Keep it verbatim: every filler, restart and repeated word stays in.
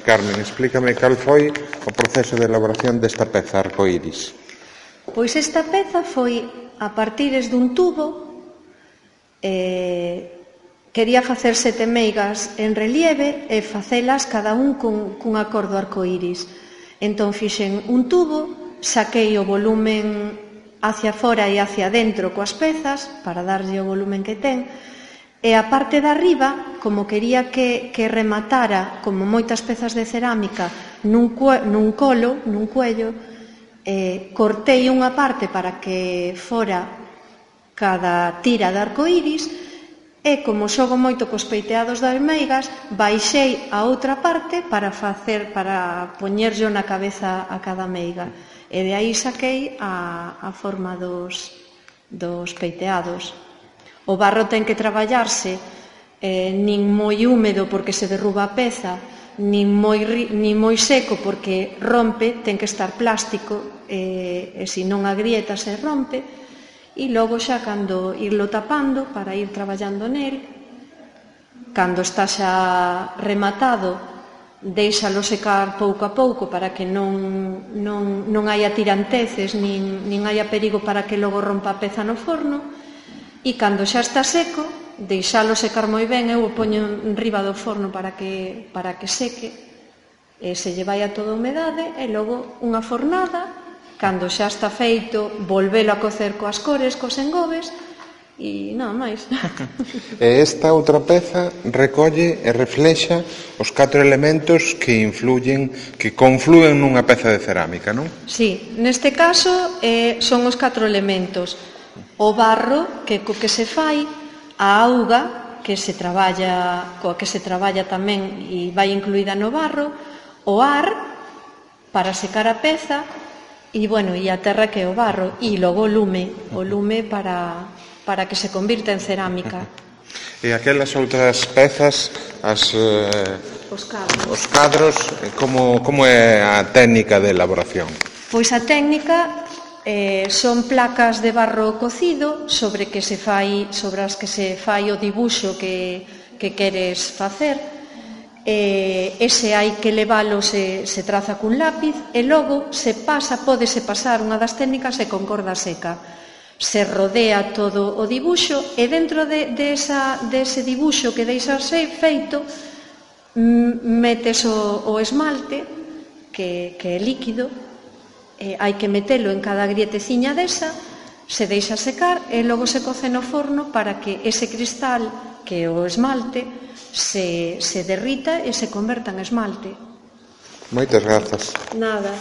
Carmen, explícame cal foi o proceso de elaboración desta peza arcoíris. Pois esta peza foi a partires dun tubo, eh, quería facer sete meigas en relieve e facelas cada un cun, cun acordo arcoíris. Entón fixen un tubo, saquei o volumen hacia fora e hacia dentro coas pezas para darlle o volumen que ten, e a parte de arriba, como quería que, que rematara, como moitas pezas de cerámica, nun, nun colo, nun cuello, eh, cortei unha parte para que fora cada tira de arcoíris, e como xogo moito cos peiteados das meigas, baixei a outra parte para facer, para poñerlle na cabeza a cada meiga. E de aí saquei a, a forma dos, dos peiteados. O barro ten que traballarse eh, nin moi húmedo porque se derruba a peza, nin moi, nin moi seco porque rompe, ten que estar plástico, e, e se non agrieta se rompe. E logo xa cando irlo tapando para ir traballando nel, cando está xa rematado, deixalo secar pouco a pouco para que non, non, non haya tiranteces nin, nin haya perigo para que logo rompa a peza no forno, e cando xa está seco, deixalo secar moi ben, eu o poño enriba do forno para que, para que seque, e se lle vai a toda a humedade, e logo unha fornada. Cando xa está feito, volvelo a cocer coas cores, cos engobes, e nada máis. E esta outra peza recolle e reflexa os catro elementos que influyen, que confluen nunha peza de cerámica, non? Sí, neste caso eh, son os catro elementos. O barro, que co que se fai, a auga, que se traballa, coa que se traballa tamén e vai incluída no barro, o ar, para secar a peza, e, bueno, e a terra que é o barro, e logo o lume, o lume para, para que se convirta en cerámica. E aquelas outras pezas, as, eh, os cadros, os cadros como, como é a técnica de elaboración? Pois a técnica eh, son placas de barro cocido sobre que se fai, sobre as que se fai o dibuixo que, que queres facer. Eh, ese hai que levalo, se, se traza cun lápiz, e logo se pasa, pódese pasar, unha das técnicas é con corda seca. Se rodea todo o dibuixo e dentro de, de, esa, de ese dibuixo que deixas feito, metes o, o esmalte, que, que é líquido, e hai que metelo en cada grieteciña desa, se deixa secar e logo se coce no forno para que ese cristal, que é o esmalte, se, se derrita e se converta en esmalte. Moitas grazas. Nada.